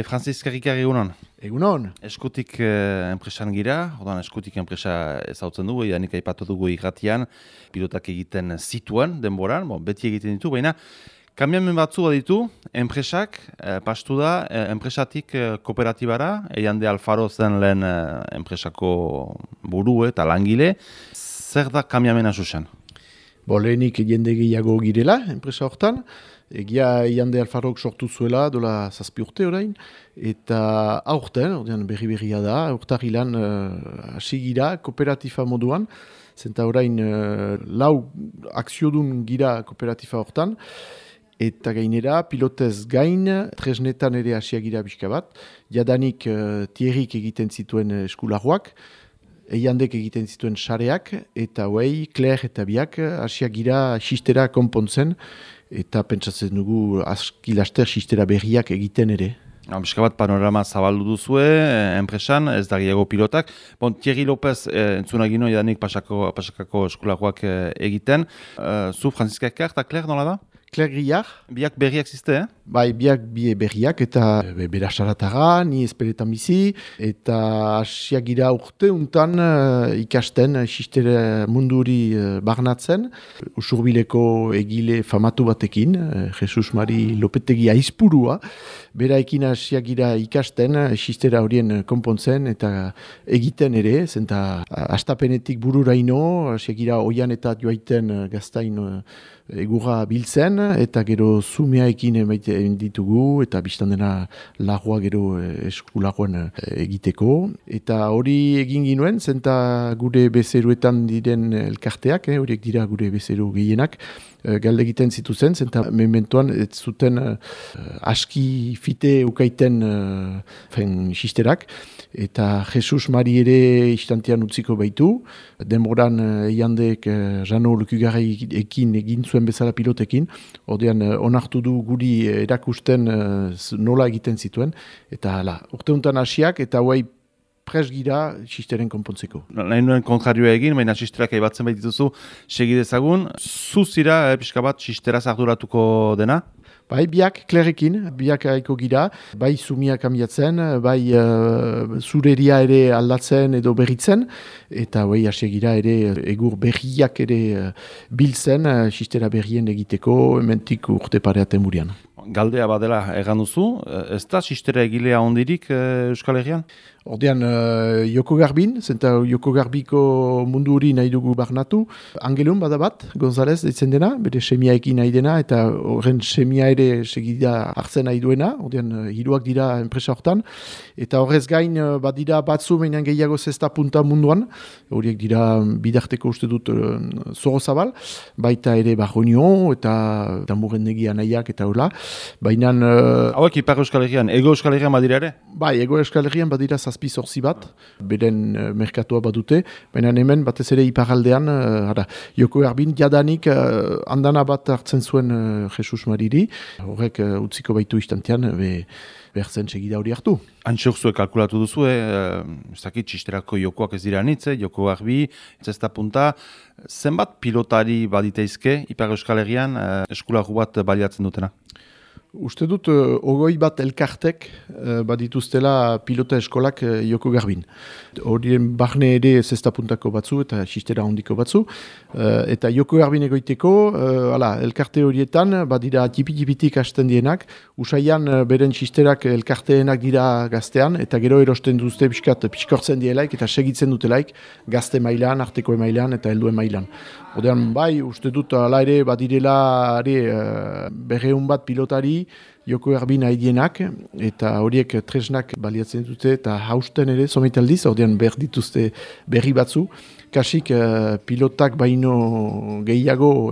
Francis Karikar egunon. Egunon. Eskutik enpresan gira, ordan eskutik enpresa ezautzen dugu, edanik aipatu dugu irratian, pilotak egiten zituen denboran, beti egiten ditu, baina kamiamen batzu ditu, enpresak, pastu da, enpresatik kooperatibara, Eiande Alfaro zen lehen enpresako buru eta langile, zer da kamiamena zuzen? Lehenik jende gehiago girela, enpresa hortan. Egia Eiande Alfarok sortu zuela, dola 7 urte orain, eta aurten, berri-berria da, urtarilan hasi gira kooperatifa moduan, zenta orain 4 akziodun gira kooperatifa hortan, eta gainera, pilotez gain, tresnetan ere hasia gira bizka bat, jadanik Thierryk egiten zituen eskulagoak, Eiandek egiten zituen sareak, eta Claire eta biak hasia gira sistera konpontzen, eta pentsatzen dugu aski laster sistera berriak egiten ere. Bizka bat panorama zabaldu duzue, enpresan, ez da gehiago pilotak. Thierry López entzunagino edanik pasakako eskulagoak egiten. Zu Francisca Ekar eta Claire nola da? Claire Grillard. Biak berriak ziste, Bai, biak berriak eta berasaratara, ni esperetan bizi, eta hasiak gira urte untan ikasten sistere munduri barnatzen. Usurbileko egile famatu batekin, Jesus Mari Lopetegi aizpurua, beraekin hasiak gira ikasten sistera horien konpontzen eta egiten ere, zenta astapenetik bururaino, hasiak gira oian eta joaiten gaztain egurra biltzen, eta gero zumeaekin ditugu, eta biztan dena lagua gero eskulagoan egiteko. Eta hori egin ginuen, zenta gure bezeruetan diren elkarteak, horiek dira gure bezeru gehienak, galde egiten zituzen, zenta mementoan ez zuten aski fite ukaiten sisterak, eta Jesus Mari ere istantean utziko baitu, denboran Eiandek Jano Lukugarrekin egin zuen bezala pilotekin, ordean onartu du guri erakusten nola egiten zituen, eta urte untan hasiak, eta pres gira sisteren konpontzeko. Nahi nuen kontrarioa egin, baina sisterak aibatzen baitituzu segidezagun. Zuzira, pixka bat, sisteraz arduratuko dena? Bai, biak Clairekin, biak aiko gira, bai sumiak ambiatzen, bai zureria ere aldatzen edo berritzen, eta hasi gira ere egur berriak ere biltzen, sistera berrien egiteko, hementik urte pareaten burian. Galdea badela egan duzu, ez da sistera egilea ondirik Euskal Herrian? Ordean, Joko Garbin, zenta Joko Garbiko mundu hori nahi dugu barnatu. Angelun bada bat, González ditzen dena, bere semiaekin nahi dena, eta horren semia ere segida hartzen nahi duena, ordean, hiruak dira enpresa hortan. Eta horrez gain, badira batzu meinen gehiago zesta punta munduan, horiek dira bidarteko uste dut Zoro Zabal, baita ere Barronio, eta Murrendegi nahiak eta hola. Baina... Hauek Ipar Euskal Herrian, Ego Euskal Herrian badira ere? Bai, Ego Euskal Herrian badira 7-8 bat, beren merkatua badute, baina hemen batez ere iparaldean, Joko Garbin jadanik andana bat hartzen zuen Jesus Mariri, horrek utziko baitu istantean, behartzen segida hori hartu. Antxok kalkulatu duzu, ez dakit, sisterako jokoak ez dira nitze, Joko Garbi, zesta punta, zenbat pilotari baditeizke Ipar Euskal Herrian eskulagu bat baliatzen dutena? Uste dut, 20 bat elkartek badituztela pilota eskolak Joko Garbin. Horien barne ere zestapuntako batzu eta sistera hondiko batzu. Eta Joko Garbin egoiteko, elkarte horietan badira tipi-tipitik hasten dienak, usaian beren sisterak elkarteenak dira gaztean, eta gero erosten duzte piskortzen dielaik eta segitzen dutelaik gazte mailan, arteko mailan eta helduen mailan. Odean, bai, uste dut, ala ere, badirela berreun bat pilotari, Joko Garbin haidienak, eta horiek tresnak baliatzen dute, eta hausten ere, sometaldiz, odean behar dituzte berri batzu, kasik pilotak baino gehiago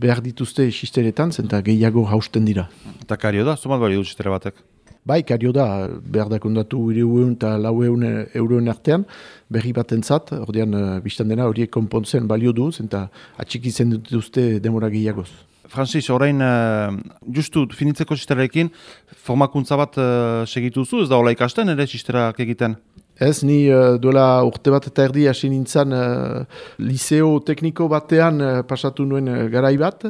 behar dituzte sisteretan, zenta gehiago hausten dira. Eta kario da, zomat bali du sistere batek? Bai, kario da, behar dakondatu 300 eta 400 euroen artean, berri batentzat, ordean biztan dena horiek konpontzen balio du, zenta atxikitzen dituzte demora gehiagoz. Francis, orain, justu finitzeko sisterarekin, formakuntza bat segituzu, ez da hola ikasten, ere sisterak egiten? Ez, ni duela urte bat eta erdi hasi nintzen liceo tekniko batean pasatu nuen garai bat.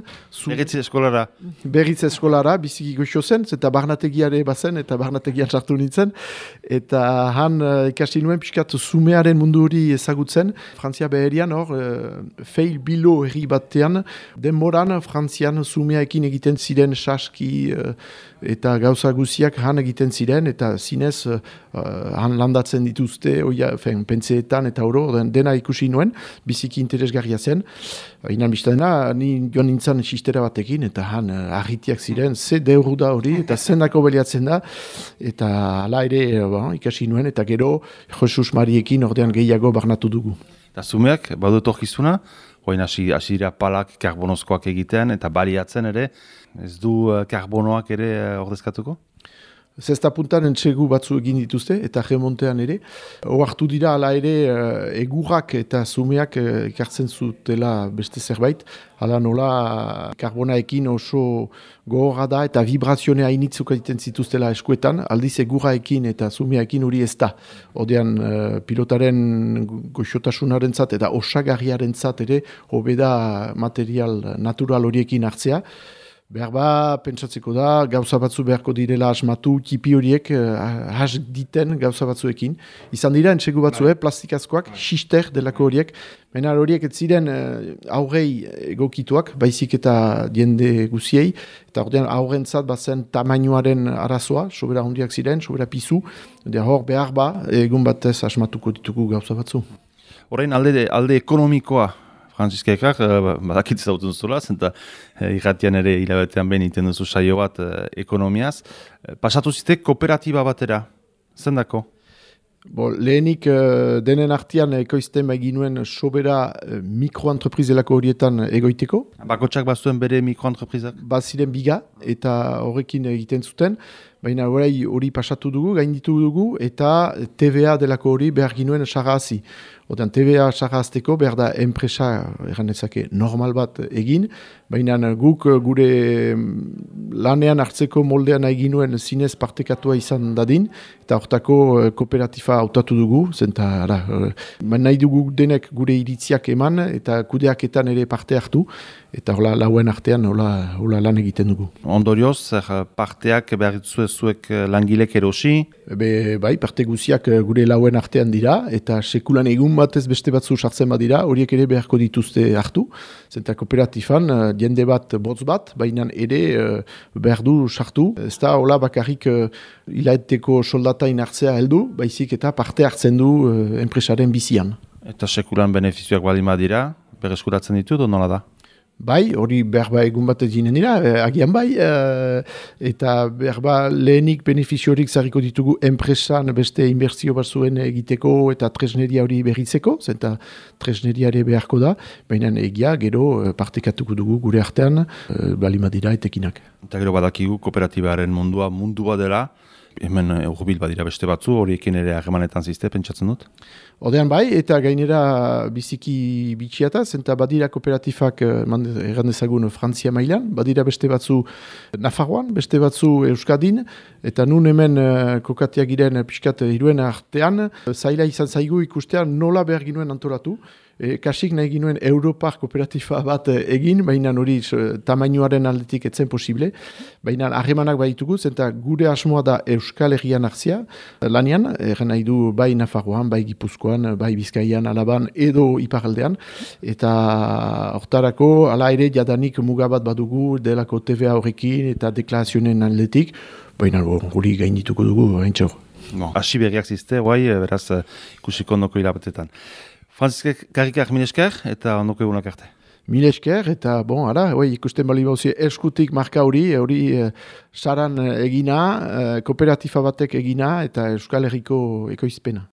Berritze eskolara? Berritze eskolara, biziki goxo zen, eta barnategiare bazen, eta barnategian sartu nintzen. Eta han ikasi nuen pixkat zumearen mundu hori ezagutzen. Frantzia beherian hor, feil bilo herri batean, denboran Frantzian zumeaekin egiten ziren saski eta gauza guziak han egiten ziren, eta zinez han landatzen dituzte, pentseetan eta oro, dena ikusi nuen, biziki interesgarria zen. Inan biztadena, ni joan nintzen sistera batekin, eta han argitiak ziren, ze deuru da hori, eta zendako beliatzen da, eta hala ere ikasi nuen, eta gero Jesus Mariekin ordean gehiago barnatu dugu. Eta zumeak, badut orkizuna, hoin hasira palak karbonozkoak egiten, eta baliatzen ere, ez du karbonoak ere ordezkatuko? Zesta puntan entsegu batzu egin dituzte, eta remontean ere. Oartu dira ala ere egurrak eta zumeak ekartzen zutela beste zerbait. Hala nola karbonaekin oso gogorra da eta vibrazionea hainitzuk egiten zituztela eskuetan. Aldiz egurraekin eta zumeaekin hori ez da. Odean pilotaren goxotasunaren zat eta osagarriaren zat ere hobeda material natural horiekin hartzea. Behar ba, pentsatzeko da, gauza batzu beharko direla asmatu, tipi horiek has diten gauza batzuekin. Izan dira, entsegu batzu, plastikazkoak, xister delako horiek. Baina horiek ez ziren aurrei egokituak, baizik eta diende guziei. Eta ordean aurrentzat bazen tamainoaren arazoa, sobera hondiak ziren, sobera pizu. Hor behar ba, egun batez asmatuko ditugu gauza batzu. Horrein alde ekonomikoa, Franziska Ekak, badakit zautun zula, zenta irratian ere hilabetean behin iten duzu saio bat ekonomiaz. Pasatu zite kooperatiba batera, zendako? Lehenik denen artean ekoizten ginuen sobera mikroentreprizelako horietan egoiteko. Bakotxak bazuen bere mikroentreprizak? Baziren biga eta horrekin egiten zuten. Baina hori pasatu dugu, gainditu dugu, eta TVA delako hori behar ginuen sarrazi. Odan TVA sarrazteko behar da enpresa erranezake normal bat egin, baina guk gure lanean hartzeko moldean egin nuen zinez partekatua izan dadin, eta hortako kooperatifa hautatu dugu, zenta nahi dugu denek gure iritziak eman, eta kudeaketan ere parte hartu, eta hola lauen artean hola lan egiten dugu. Ondorioz, parteak behar zuek langilek erosi? Bai, parte guziak gure lauen artean dira, eta sekulan egun batez beste batzu sartzen badira, horiek ere beharko dituzte hartu. Zenta kooperatifan, jende bat, botz bat, baina ere behar du sartu. Ez da, hola bakarrik hilaeteko soldatain hartzea heldu, baizik eta parte hartzen du enpresaren bizian. Eta sekulan benefizioak balima dira, berreskuratzen ditu, nola da? Bai, hori berba egun bat eginen dira, agian bai, eta berba lehenik benefiziorik zarriko ditugu enpresan beste inbertsio bat zuen egiteko eta tresneria hori berritzeko, zenta tresneriare beharko da, baina egia gero partekatuko dugu gure artean, balima dira etekinak. Eta gero badakigu kooperatibaren mundua dela, hemen urbil badira beste batzu, horiekin ere harremanetan zizte, pentsatzen dut? Odean bai, eta gainera biziki bitxiata, zenta badira kooperatifak errandezagun Frantzia mailan, badira beste batzu Nafarroan, beste batzu Euskadin, eta nun hemen kokatiak giren pixkat hiruen artean, zaila izan zaigu ikustean nola behar ginuen antolatu, kasik nahi ginuen Europar kooperatifa bat egin, baina hori tamainoaren aldetik etzen posible, baina harremanak baditugu, zenta gure asmoa da Euskal Herrian hartzia, lanian, nahi du bai Nafarroan, bai Gipuzkoan, bai Bizkaian, Alaban, edo Iparaldean, eta hortarako, ala ere jadanik mugabat badugu, delako TVA horrekin, eta deklarazionen aldetik, baina hori gaindituko dugu, haintxor. Asi berriak zizte, beraz ikusiko ondoko hilabetetan. Franziska Karikak mil esker eta ondoko egunak arte. Mil esker eta ikusten bali bauzi eskutik marka hori saran egina, kooperatifa batek egina eta Euskal Herriko ekoizpena.